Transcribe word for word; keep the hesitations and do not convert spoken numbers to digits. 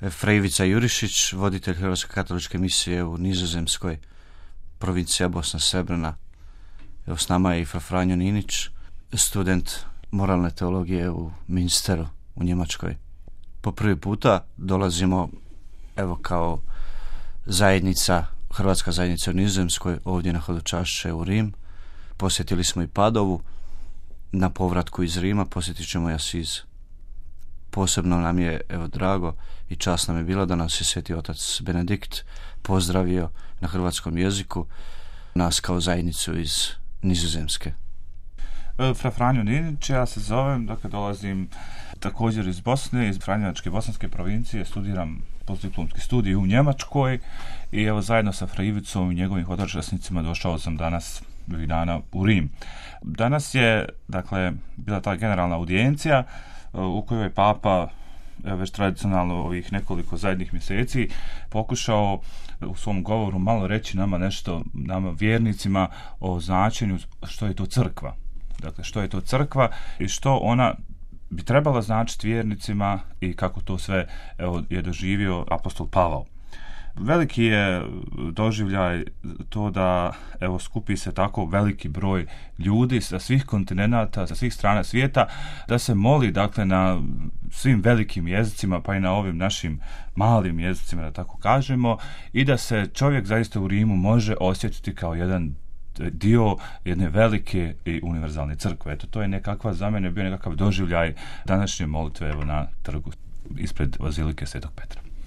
Fra Ivica Jurišić, voditelj Hrvatske katoličke misije u Nizozemskoj, provincija Bosna Srebrna. Evo s nama je i fra Franjo Ninić, student moralne teologije u Münsteru u Njemačkoj. Po prvi puta dolazimo evo kao zajednica, Hrvatska zajednica u Nizozemskoj, ovdje na hodočašće u Rim. Posjetili smo i Padovu. Na povratku iz Rima posjetit ćemo i Asiz. Posebno nam je evo drago i čast nam je bilo da nas je Sveti otac Benedikt pozdravio na hrvatskom jeziku, nas kao zajednicu iz Nizozemske. Fra Franjo Ninić, ja se zovem, dakle dolazim također iz Bosne, iz Franjevačke bosanske provincije, studiram postdiplomski studij u Njemačkoj i evo zajedno sa Fra Ivicom i njegovim hodočasnicima došao sam danas ovih dana u Rim. Danas je, dakle, bila ta generalna audijencija u kojoj je Papa već tradicionalno ovih nekoliko zadnjih mjeseci pokušao u svom govoru malo reći nama nešto, nama vjernicima, o značenju što je to crkva. Dakle, što je to crkva i što ona bi trebala značiti vjernicima i kako to sve evo, je doživio apostol Pavao. Veliki je doživljaj to da evo skupi se tako veliki broj ljudi sa svih kontinenata, sa svih strana svijeta, da se moli dakle na svim velikim jezicima, pa i na ovim našim malim jezicima, da tako kažemo, i da se čovjek zaista u Rimu može osjetiti kao jedan dio jedne velike i univerzalne crkve. Eto, to je nekakva, za mene bio nekakav doživljaj današnje molitve evo na trgu ispred Bazilike Svetog Petra.